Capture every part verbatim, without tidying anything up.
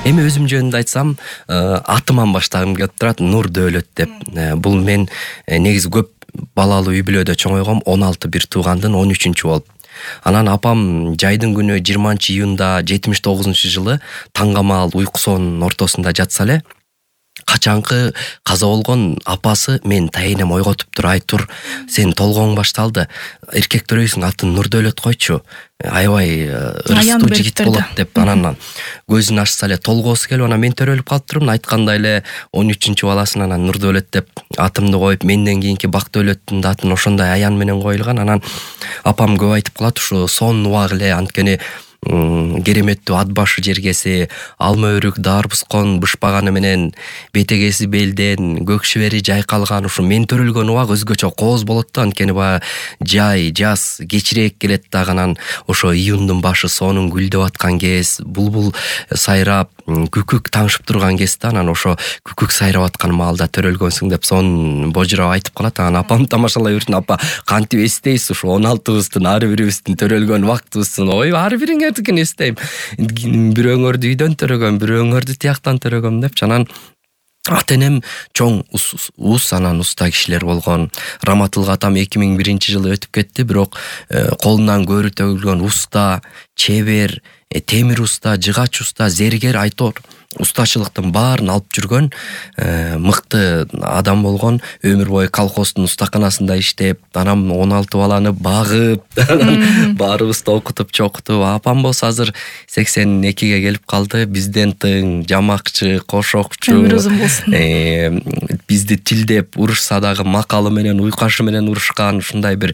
Эми өзүм жөнүндө айтсам, атыман баштагым келип турат, Нур Дөөлөт деп. Бул мен негизи көп балалуу үй бүлөдө чоңойгом, он алты бир туугандын он үчүнчү болуп. Анан апам жайдын күнү жыйырманчы июнда жетимиш тогузунчу жылы таңгамаал уйкусонун ортосунда жатса эле, качанкы каза болгон апасы мен тайенем ойготуп туруп, ай тур, сен толгооң башталды, эркектөрөйсүң, атын Нурдөөлөт койчу, аябай ырыстуу жигит болот деп. Анан көзүн ачса эле толгоосу келип, анан мен төрөлүп калыптырмын, айткандай эле он үчүнчү баласын анан Нурдөөлөт деп атымды коюп, менден кийинки Бактөөлөттүн да атын ошондой аян менен коюлган. Анан апам көп айтып калат, ушу сонун убак эле, анткени кереметтүү ат башы жергеси, алма өрүк дарбускон бышпаганы менен бетегеси белден, көк шибери жайкалган, ушу мен төрөлгөн убак өзгөчө кооз болот да, анткени баягы жай, жаз кечирээк келет дагы. Анан ошо июндун башы, сонун гүлдөп аткан кез, булбул сайрап, күкүк таңшып турган кез да. Анан ошо күкүк сайрап аткан маалда төрөлгөнсүң деп сонун божурап айтып калат. Анан апам тамашалай берсин, апа кантип эстейсиз ушу он алтыбыздын ар бирибиздин төрөлгөн убактыбыздын, ой ар бириңер эстейм, бирөөңөрдү үйдөн төрөгөм, бирөөңөрдү тияктан төрөгөм депчи. Анан ата энем чоң ус, анан уста кишилер болгон. Раматылга атам эки миң биринчи жылы өтүп кетти, бирок колунан көөрү төгүлгөн уста, чебер, темир уста, жыгач уста, зергер, айтор устачылыктын баарын алып жүргөн мыкты адам болгон. Өмүр бою колхоздун устаканасында иштеп, анан он алты баланы багып, баарыбызды окутуп чокутуп. Апам болсо азыр сексен экиге келип калды, бизден тың, жамакчы, кошокчу. Өмүр узун болсун. Бизди тилдеп урушса дагы макалы менен, уйкашы менен урушкан, ушундай бир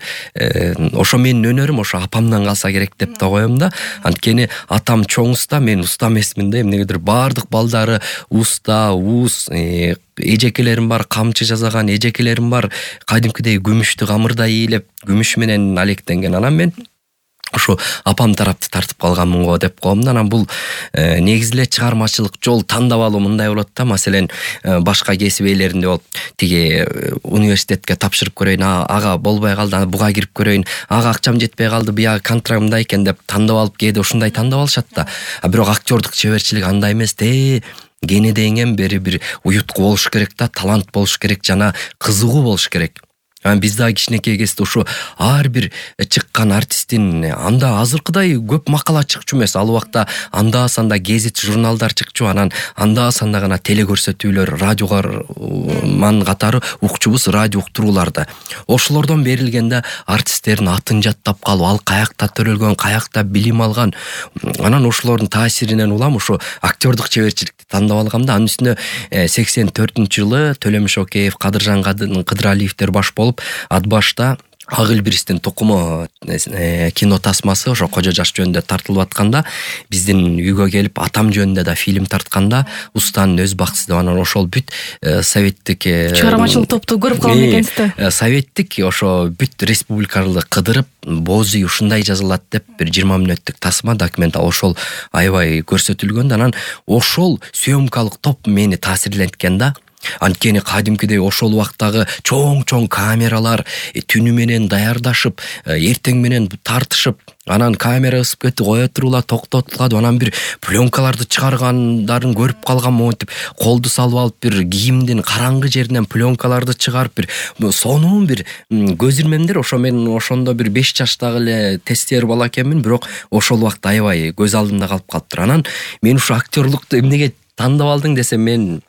ошо менин өнөрүм ошо апамдан калса керек деп да коем да. Анткени атам чоң уста, мен уста эмесмин да. Эмнегедир баардык балдары уста, уус, эжекелерим бар, камчы жасаган эжекелерим бар, кадимкидей күмүштү камырда ийилеп, күмүш менен алектенген. Анан мен ошо апам тарапты тартып калганмын го деп коем да. Анан бул негизи эле чыгармачылык жол тандап алуу мындай болот да. Маселен, башка кесип ээлеринде болуп, тиги университетке тапшырып көрөйүн, ага болбой калды, буга кирип көрөйүн, ага акчам жетпей калды, бияга контракт мындай экен деп тандап алып, кээде ушундай тандап алышат да. А бирок актёрдук чеберчилик андай эмес да. Кенедейиңен бери бир уютку болуш керек да, талант болуш керек жана кызыгуу болуш керек. Анан биз дагы кичинекей кезде ушу ар бир чыккан артисттин анда азыркыдай көп макала чыкчу эмес. Ал убакта анда санда гезит, журналдар чыкчу, анан анда санда гана теле көрсөтүүлөр, радиогар ман катары укчубуз радио уктурууларды. Ошолордон берилгенде артисттердин атын жаттап калып, ал каякта төрөлгөн, каякта билим алган. Анан ошолордун таасиринен улам ушу актёрдук чеберчиликти тандап алгам да. Анын үстүнө сексен төртүнчү жылы Төлөм Шокеев, Кадыржан Кыдыралиевдер баш болуп, ат башта Ак Элбирстин тукуму кино тасмасы ошо Кожо Жаш жөнүндө тартылып атканда, биздин үйгө келип атам жөнүндө да фильм тартканда, устанын өз баксыз деп, анан ошол бүт советтик чыгармачылык топту көрүп калган экенсиз да. Советтик ошо бүт республикалык кыдырып, Боозүй ушундай жазылат деп бир жыйырма мүнөттүк тасма, документал ошол аябай көрсөтүлгөн. Анан ошол съемкалык топ мени таасирленткен да. Анткени кадимкидей ошол убактагы чоң-чоң камералар түнү менен даярдашып, эртең менен тартышып, анан камера ысып кетти, кое турула, токтотулат, анан бир пленкаларды чыгаргандарын көрүп калган монтип, колду салып алып бир кийимдин караңгы жеринен пленкаларды чыгарып, бир сонун бир көз ирмемдер. Ошо мен ошондо бир беш жаштагы эле тестер бала экенмин, бирок ошол убакта аябай көз алдымда калып калыптыр. Анан мен ушу актёрлукту эмнеге тандап алдың десем, мен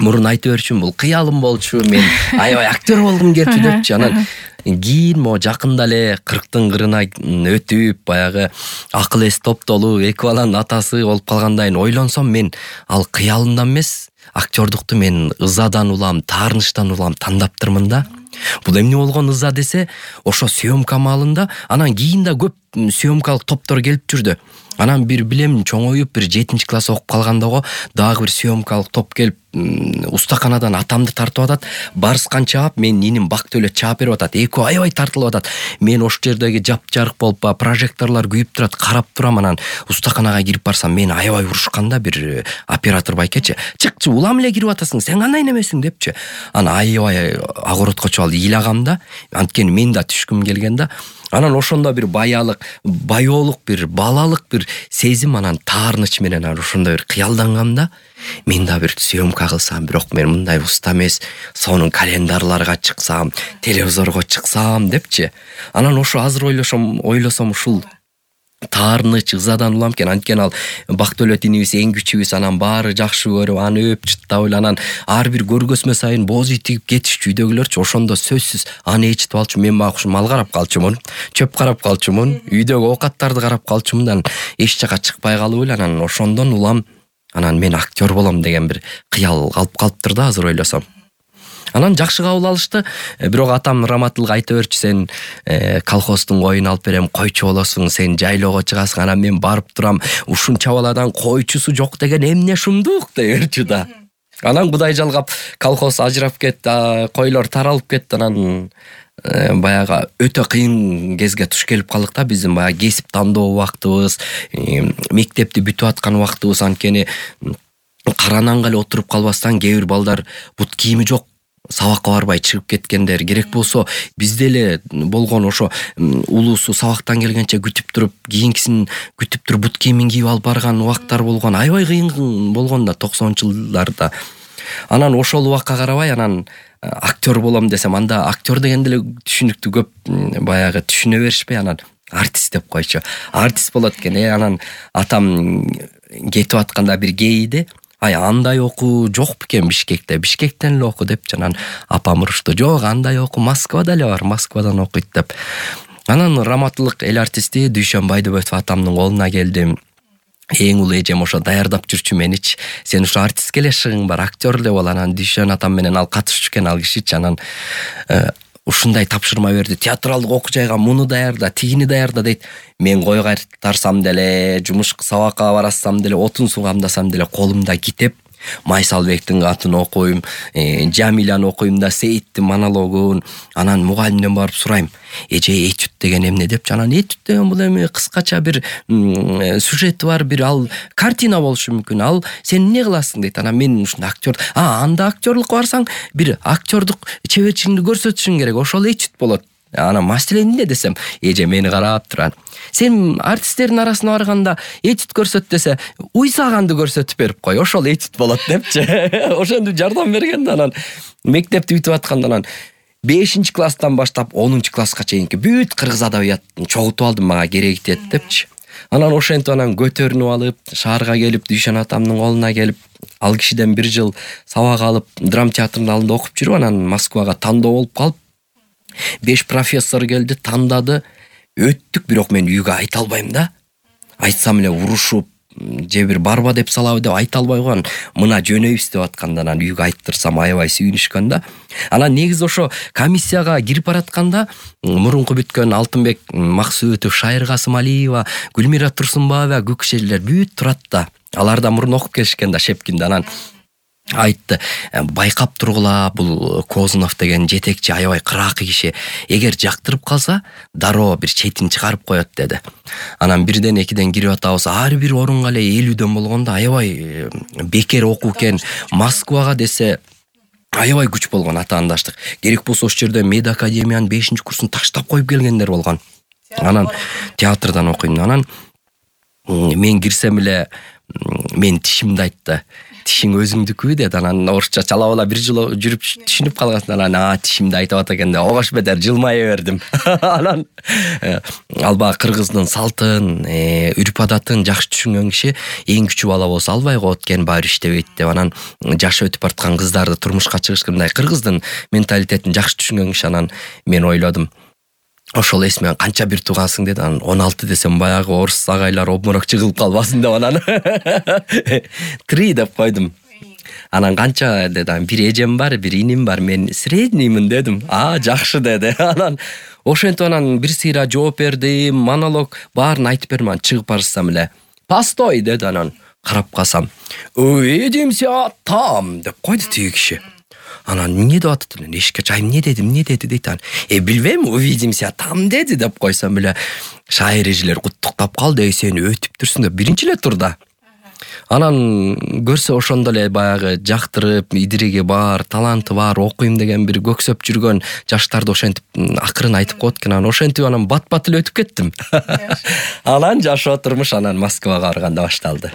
мурун айтып берчүмүн, бул кыялым болчу, мен аябай актер болгум келчү депчи. Анан кийин могу жакында эле кырктын кырына өтүп, баягы акыл эс топтолуп, эки баланын атасы болуп калгандайын ойлонсом, мен ал кыялымдан эмес, актёрдукту мен ызадан улам, таарынычтан улам таңдаптырмын да. Бул эмне болгон ыза десе, ошо съемка маалында, анан кийин да көп съемкалык топтор келип жүрдү. Анан бир билем чоңоюп бир жетинчи класс окуп калганда го дагы бир съемкалык топ келип устаканадан атамды тартып атат. Барскан чаап, мен иним Бактөөлөт чаап берип атат. Экөө аябай тартылып атат. Мен ошол жердеги жапжарык болуп, прожекторлор күйүп турат, карап турам. Анан устаканага кирип барсам, мени аябай урушканда бир оператор байкечи. Чыкчы, улам эле кирип атасың, сен кандай немесиң депчи. Анан аябай огороткочу ал ыйлагам да. Анткени мен да түшкүм келген да. Анан ошондо бир баялык, баяолук бир балалык бир сезим, анан таарыныч менен ошондо бир кыялдангам да. Мен да бир съемка кылсам, бирок мен мындай уста эмес, сонун календарларга чыксам, телевизорго чыксам депчи. Анан ошо азыр ойлошом, ойлосом ушул таарыныч ызадан улам экен. Анткени ал Бактөөлөт инибиз эң күчүбүз, анан баары жакшы көрүп, аны өп чыттап эле, анан ар бир көргөзмө сайын боз үй тигип кетишчү үйдөгүлөрчү. Ошондо сөзсүз аны ээрчитип алчу. Мен багы мал карап калчумун, чөп карап калчумун, үйдөгү оокаттарды карап калчумун, эч жака чыкпай калып эле. Анан ошондон улам, анан мен актер болом деген бир кыял калып калыптыр да азыр ойлосом. Анан жакшы кабыл алышты. Бирок атам Раматылга айта берчү, сен колхоздун коюн алып берем, койчу болосуң, сен жайлоого чыгасың. Анан мен барып турам, ушунча баладан койчусу жок деген эмне шумдук дей берчү да. Анан Кудай жалгап колхоз ажырап кетти, койлор таралып кетти. Анан баягы өтө кыйын кезге туш келип калдык да. Биздин баягы кесип тандоо убактыбыз, мектепти бүтүп аткан убактыбыз. Анткени карананга эле отуруп калбастан кээ бир балдар бут кийими жок, сабакка барбай чыгып кеткендер. Керек болсо бизде эле болгон ошо улуусу сабактан келгенче күтүп туруп, кийинкисин күтүп туруп бут кийимин кийип алып барган убактар болгон. Аябай кыйын болгон да токсонунчу жылдарда. Анан ошол убакка карабай, анан актер болом десем, анда актер дегенде эле түшүнүктүү көп баягы түшүнө беришпей, анан артист деп койчу. Артист болот экен. Э анан атам кетип атканда бир кейиди. Ай, андай окуу жок бекен Бишкекте, Бишкектен эле оку депчи. Анан апам урушту. Жок, андай оку Москвада эле бар, Москвадан окуйт деп. Анан Раматылык эл артисти Дүйшөн Байдыбеков атамдын колуна келдим. Эң улуу эжем ошо даярдап жүрчү меничи. Сен ушу артистке эле шыгың бар, актер эле бол. Анан Дүйшөн атам менен ал катышчу экен, ал кишичи. Анан ушундай тапшырма берди. Театралдык окуу жайга муну даярда, тигини даярда дейт. Мен кой кайтарсам деле, жумушка сабакка барасам деле, отун суу камдасам деле колумда китеп, Майсалбектин катын окуйм, Жамиляны окуйм да, Сейиттин монологун. Анан мугалимден барып сурайм, эже этюд деген эмне депчи. Анан этюд деген бул эми кыскача бир сюжети бар, бир ал картина болушу мүмкүн. Ал сен эмне кыласың дейт. Анан мен ушундай актер, а анда актерлукка барсаң, бир актердук чеберчилигиңди көрсөтүшүң керек. Ошол этюд болот. Анан маселе эмне десем, эже мени карап турат. Сен артисттердин арасына барганда этюд көрсөт десе, уйсаганды көрсөтүп берип кой, ошол этюд болот депчи. Ошентип жардам берген да. Анан мектепти бүтүп атканда, анан бешинчи класстан баштап онунчу класска чейинки бүт кыргыз адабиятын чогултуп алдым, мага кереги тиет депчи. Анан ошентип анан көтөрүнүп алып, шаарга келип, Дүйшөн атамдын колуна келип, ал кишиден бир жыл сабак алып, драм театрынын алдында окуп жүрүп, анан Москвага тандоо болуп калып, беш профессор келди, тандады, өттүк. Бирок мен үйгө айта албайм да. Айтсам эле урушуп, же бир барба деп салабы деп айта албай койгон. Мына жөнөйбүз деп атканда, анан үйгө айттырсам аябай сүйүнүшкөн да. Анан негизи ошо комиссияга кирип баратканда мурунку бүткөн Алтынбек Максуутов, Шайыр Касымалиева, Гүлмира Турсунбаева көк кишилер бүт турат да. Алар да мурун окуп келишкен да Шепкинде. Анан айтты, байкап тургула, бул Козунов деген жетекчи аябай кыракы киши. Эгер жактырып калса, дароо бир четин чыгарып коет деди. Анан бирден экиден кирип атабыз. Ар бир орунга эле элүүдөн болгондо аябай бекер окуу экен. Москвага десе аябай күч болгон атаандаштык. Керек болсо ошол жерде Мед академиянын бешинчи курсун таштап коюп келгендер болгон. Анан театрдан окуйм. Анан мен кирсем эле мен тишимди айтты. Тишиң өзүңдүкү деди. Анан орусча чалап ала бир жыл жүрүп түшүнүп калгансың. Анан а тишимди айтып атат экен да, огош бетер жылмая бердим. Анан алба кыргыздын салтын, үрп адатын жакшы түшүнгөн киши эң күчүү бала болсо албай коет экен, баары иштебейт деп. Анан жашы өтүп бараткан кыздарды турмушка чыгышкандай кыргыздын менталитетин жакшы түшүнгөн киши. Анан мен ойлодум, ошол эсмен канча бир туугансың деди. Анан он алты десем баягы орус агайлар обморок чыгылып калбасын деп анан три деп койдум. Анан канча деди. Бир эжем бар, бир иним бар, мен средниймин дедим. А, жакшы деди. Анан ошентип анан бир сыйра жооп бердим, монолог баарын айтып берман. Чыгып барсам эле постой деди. Анан карап калсам, "Увидимся там" деп койду тиги киши. Анан эмне деп атат эле, эшикке чайым, эмне деди, эмне деди дейт. Анан э билбейм, увидимся там деди деп койсом эле шайыр эжелер куттуктап калды. Эй, сен өтүп турсуң деп биринчи эле турда. Анан көрсө ошондо эле баягы жактырып, идириги бар, таланты бар, окуйм деген бир көксөп жүргөн жаштарды ошентип акырын айтып коет экен. Анан ошентип анан бат-бат эле өтүп кеттим. Анан жашоо турмуш анан Москвага барганда башталды.